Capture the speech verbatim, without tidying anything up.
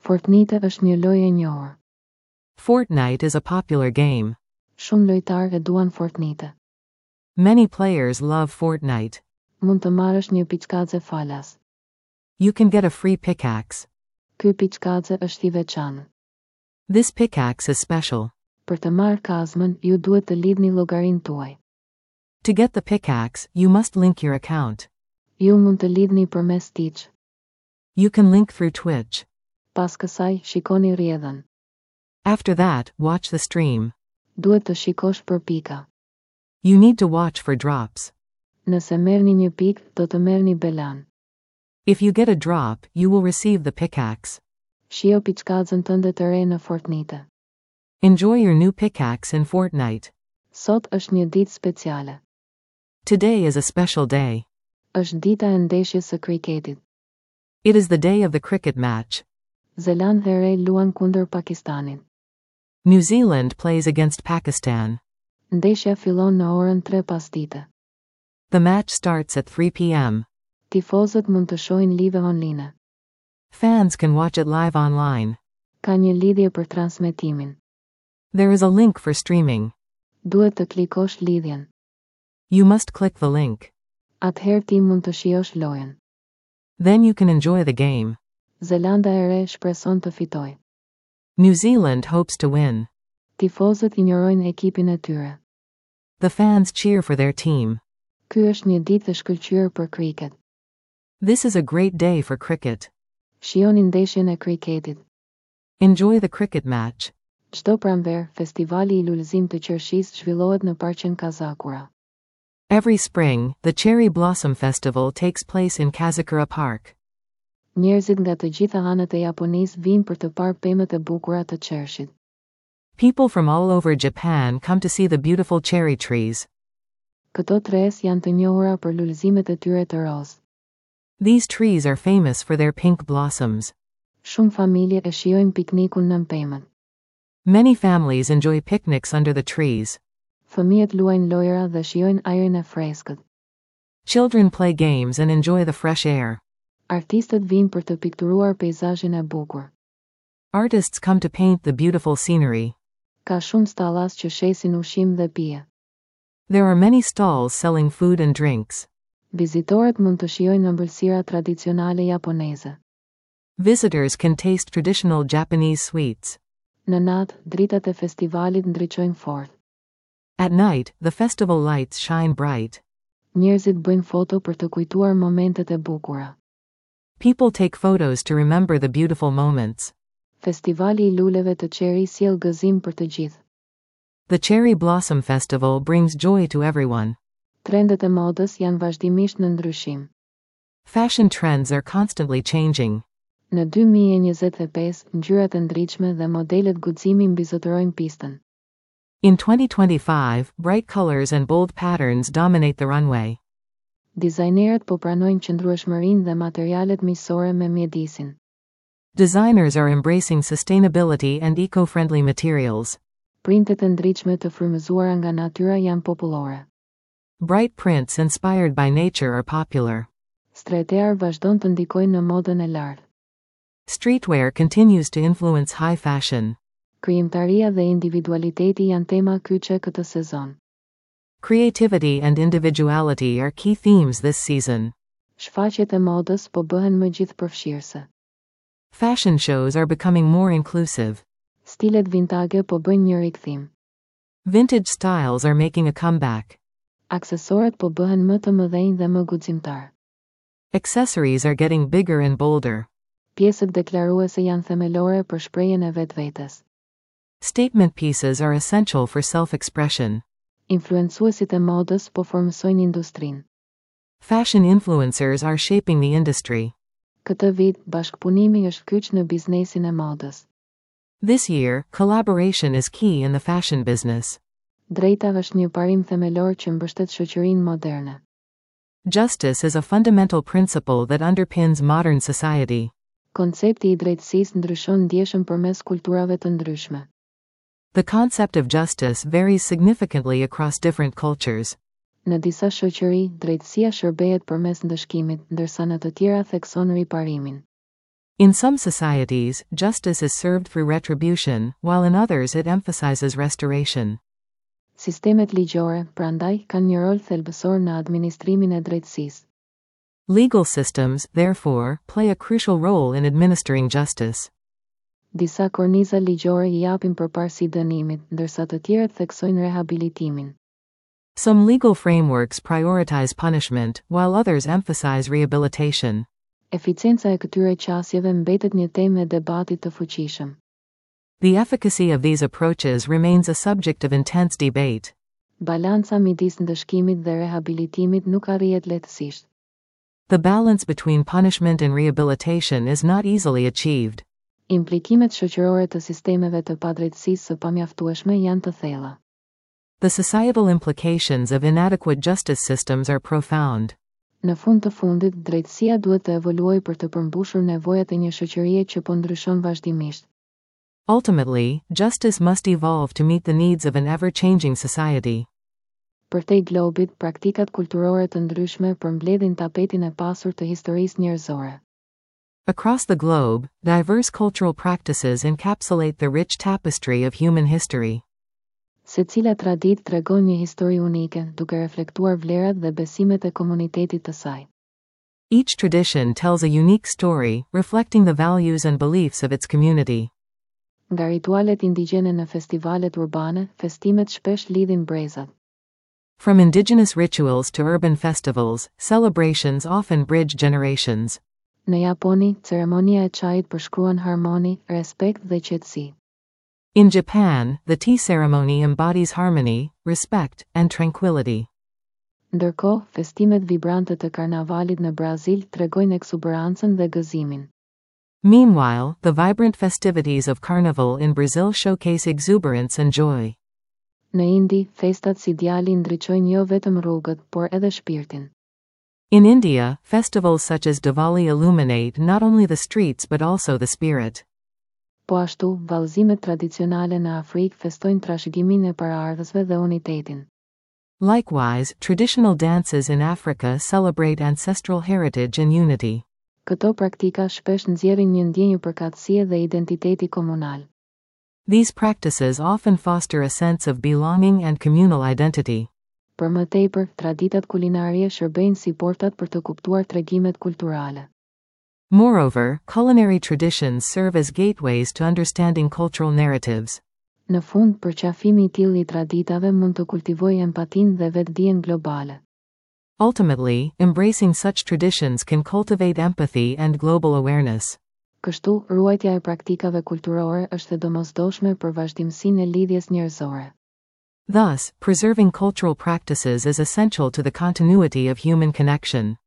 Fortnite është një lojë e njohur. Fortnite is a popular game. Shumë lojtarë e duan Fortnite. Many players love Fortnite. Mund të marrësh një piçkaze falas. You can get a free pickaxe. Ky piçkaze është i veçantë. This pickaxe is special. Për të marrë kazmën, ju duhet të lidhni llogarinë tuaj. To get the pickaxe, you must link your account. Ju mund të lidhni përmes Twitch. You can link through Twitch. Pas kësaj, shikoni rrjedhën. After that, watch the stream. Duhet të shikosh për pika. You need to watch for drops. Nëse merrni një pikë, do të merrni belan. If you get a drop, you will receive the pickaxe. Shijo piçkazën tënde të re në Fortnite. Enjoy your new pickaxe in Fortnite. Sot është një ditë speciale. Today is a special day. Është dita e ndeshjes së kriketit. It is the day of the cricket match. Zelandë e Re luan kundër Pakistanit. New Zealand plays against Pakistan. Ndeshja fillon në orën tre pasdite. The match starts at three p m Tifozët mund të shohin live online. Fans can watch it live online. Ka një lidhje për transmetimin. There is a link for streaming. Duhet të klikosh lidhjen. You must click the link. Atëherë ti mund të shijosh lojën. Then you can enjoy the game. Zelanda e Re shpreson të fitojë. New Zealand hopes to win. Tifozët injorojnë ekipin e tyre. The fans cheer for their team. Ky është një ditë e shkëlqyer për kriket. This is a great day for cricket. Shijoni ndeshjen e kriketit. Enjoy the cricket match. Çdo pranverë, festivali i lulëzim të qershisë zhvillohet në parqen Kazakura. Every spring, the Cherry Blossom Festival takes place in Kazakura Park. Njerëzit nga të gjitha anët e Japonisë vijnë për të parë pemët e bukura të qershit. People from all over Japan come to see the beautiful cherry trees. Këto tres janë të njohura për lulëzimet e tyre të rozë. These trees are famous for their pink blossoms. Shumë familje e shijojnë piknikun nën pemët. Many families enjoy picnics under the trees. Fëmijët luajnë lojra dhe shijojnë ajrin e freskët. Children play games and enjoy the fresh air. Artistët vijnë për të pikturuar peizazhin e bukur. Artists come to paint the beautiful scenery. Ka shumë stallas që shesin ushqim dhe pije. There are many stalls selling food and drinks. Vizitorët mund të shijojnë ëmbëlsira tradicionale japoneze. Visitors can taste traditional Japanese sweets. Në natë, dritat e festivalit ndriçojnë fort. At night, the festival lights shine bright. Njerëzit bëjnë foto për të kujtuar momentet e bukura. People take photos to remember the beautiful moments. Festivali i luleve të cherry sjell gëzim për të gjithë. The Cherry Blossom Festival brings joy to everyone. Trendet e modës janë vazhdimisht në ndryshim. Fashion trends are constantly changing. Në dy mijë e njëzet e pesë, ngjyrat e ndritshme dhe modelet guximi mbizotërojnë pistën. In twenty twenty-five, bright colors and bold patterns dominate the runway. Dizajnerët po pranojnë qëndrueshmërinë dhe materialet miqësore me mjedisin. Designers are embracing sustainability and eco-friendly materials. Printet e ndritshme të frymëzuara nga natyra janë popullore. Bright prints inspired by nature are popular. Streetwear vazhdon të ndikojë në modën e lartë. Streetwear continues to influence high fashion. Krijimtaria dhe individualiteti janë tema kyçe këtë sezon. Creativity and individuality are key themes this season. Shfaqjet e modës po bëhen më gjithëpërfshirëse. Fashion shows are becoming more inclusive. Stilet vintage po bëjnë një rikthim. Vintage styles are making a comeback. Aksesorët po bëhen më të mëdhenj dhe më guximtar. Accessories are getting bigger and bolder. Pjesët deklaruese janë themelore për shprehjen e vetvetes. Statement pieces are essential for self-expression. Influencuesit e modës po formësojnë industrinë. Fashion influencers are shaping the industry. Këtë vit, bashkëpunimi është kyç në biznesin e modës. This year, collaboration is key in the fashion business. Drejta është një parim themelor që mbështet shoqërinë moderne. Justice is a fundamental principle that underpins modern society. Koncepti i drejtësisë ndryshon ndjeshëm përmes kulturave të ndryshme. The concept of justice varies significantly across different cultures. Në disa shoqëri, drejtësia shërbehet përmes ndëshkimit, ndërsa në të tjera thekson riparimin. In some societies, justice is served through retribution, while in others it emphasizes restoration. Sistemet ligjore, prandaj, kanë një rol thelbësor në administrimin e drejtësisë. Legal systems, therefore, play a crucial role in administering justice. Disa korniza ligjore i japin përparësi dënimit, ndërsa të tjerët theksojnë rehabilitimin. Some legal frameworks prioritize punishment, while others emphasize rehabilitation. Eficienca e këtyre qasjeve mbetet një temë e debatit të fuqishëm. The efficacy of these approaches remains a subject of intense debate. Balanca midis ndëshkimit dhe rehabilitimit nuk arrihet lehtësisht. The balance between punishment and rehabilitation is not easily achieved. Implikimet shoqërore të sistemeve të padrejtësisë së pamjaftueshme janë të thella. The societal implications of inadequate justice systems are profound. Në fund të fundit, drejtësia duhet të evoluojë për të përmbushur nevojat e një shoqërie që po ndryshon vazhdimisht. Ultimately, justice must evolve to meet the needs of an ever-changing society. Përtej globit, praktikat kulturore të ndryshme përmbledhin tapetin e pasur të historisë njerëzore. Across the globe, diverse cultural practices encapsulate the rich tapestry of human history. Secila traditë tregon një histori unike, duke reflektuar vlerat dhe besimet e komunitetit të saj. Each tradition tells a unique story, reflecting the values and beliefs of its community. Nga ritualet indigjene në festivalet urbane, festimet shpesh lidhin brezat. From indigenous rituals to urban festivals, celebrations often bridge generations. Në Japoni, ceremonia e çajit përshkruan harmoni, respekt dhe qetësi. In Japan, the tea ceremony embodies harmony, respect, and tranquility. Ndërkohë, festimet vibrante të karnavalit në Brazil tregojnë ekzuberancën dhe gëzimin. Meanwhile, the vibrant festivities of Carnival in Brazil showcase exuberance and joy. Në Indi, festat si Diwali ndriçojnë jo vetëm rrugët, por edhe shpirtin. In India, festivals such as Diwali illuminate not only the streets but also the spirit. Po ashtu, vallëzimet tradicionale në Afrikë festojnë trashëgiminë e paraardhësve dhe unitetin. Likewise, traditional dances in Africa celebrate ancestral heritage and unity. Këto praktika shpesh nxjerrin një ndjenjë përkatësie dhe identiteti komunal. These practices often foster a sense of belonging and communal identity. Për më tepër, traditat kulinarie shërbejnë si portat për të kuptuar tregimet kulturale. Moreover, culinary traditions serve as gateways to understanding cultural narratives. Në fund, përqafimi i tillë i traditave mund të kultivojë empatinë dhe vetëdijen globale. Ultimately, embracing such traditions can cultivate empathy and global awareness. Kështu, ruajtja e praktikave kulturore është e domosdoshme për vazhdimësinë e lidhjes njerëzore. Thus, preserving cultural practices is essential to the continuity of human connection.